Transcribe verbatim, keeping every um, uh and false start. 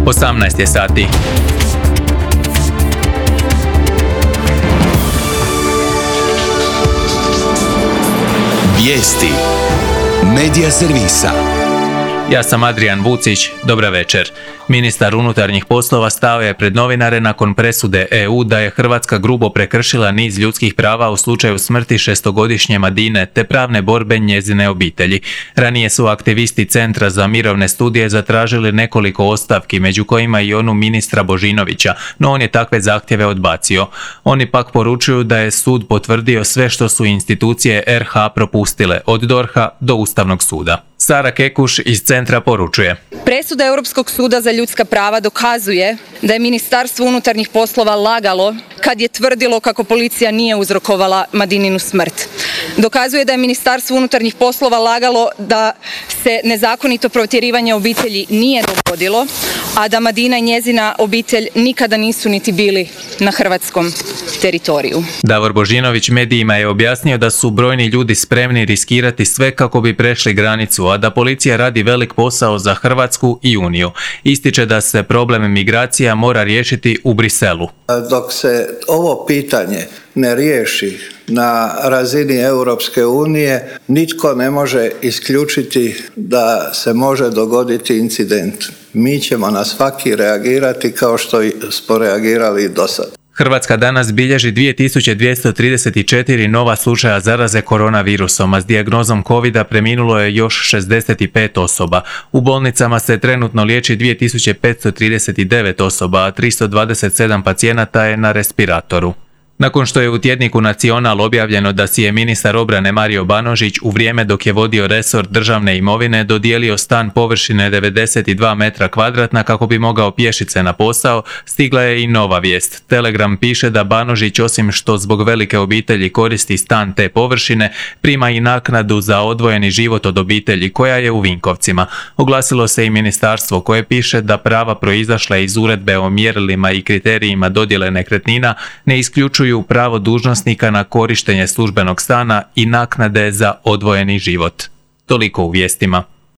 osamnaest je sati. Vijesti Medija servisa. Ja sam Adrijan Vucić, dobra večer. Ministar unutarnjih poslova stao je pred novinare nakon presude E U da je Hrvatska grubo prekršila niz ljudskih prava u slučaju smrti šestogodišnje Madine te pravne borbe njezine obitelji. Ranije su aktivisti Centra za mirovne studije zatražili nekoliko ostavki, među kojima i onu ministra Božinovića, no on je takve zahtjeve odbacio. Oni pak poručuju da je sud potvrdio sve što su institucije R H propustile, od D O R H-a do Ustavnog suda. Sara Kekuš iz Centra poručuje. Presuda Europskog suda za ljudska prava dokazuje da je Ministarstvo unutarnjih poslova lagalo kad je tvrdilo kako policija nije uzrokovala Madininu smrt. Dokazuje da je Ministarstvo unutarnjih poslova lagalo da se nezakonito protjerivanje obitelji nije dogodilo, a da Madina i njezina obitelj nikada nisu niti bili na hrvatskom teritoriju. Davor Božinović medijima je objasnio da su brojni ljudi spremni riskirati sve kako bi prešli granicu, a da policija radi velik posao za Hrvatsku i Uniju. Ističe da se problem migracija mora riješiti u Briselu. Dok se ovo pitanje ne riješi na razini Europske unije, nitko ne može isključiti da se može dogoditi incident. Mi ćemo na svaki reagirati kao što smo reagirali do sada. Hrvatska danas bilježi dvije tisuće dvjesto trideset četiri nova slučaja zaraze koronavirusom, a s dijagnozom covida preminulo je još šezdeset pet osoba. U bolnicama se trenutno liječi dvije tisuće petsto trideset devet osoba, a tristo dvadeset sedam pacijenata je na respiratoru. Nakon što je u tjedniku Nacional objavljeno da si je ministar obrane Mario Banožić u vrijeme dok je vodio resor državne imovine dodijelio stan površine devedeset dva metra kvadratna kako bi mogao pješice na posao, stigla je i nova vijest. Telegram piše da Banožić, osim što zbog velike obitelji koristi stan te površine, prima i naknadu za odvojeni život od obitelji koja je u Vinkovcima. Oglasilo se i ministarstvo koje piše da prava proizašla iz uredbe o mjerilima i kriterijima dodjele nekretnina ne isključuju pravo dužnosnika na korištenje službenog stana i naknade za odvojeni život. Toliko u vijestima.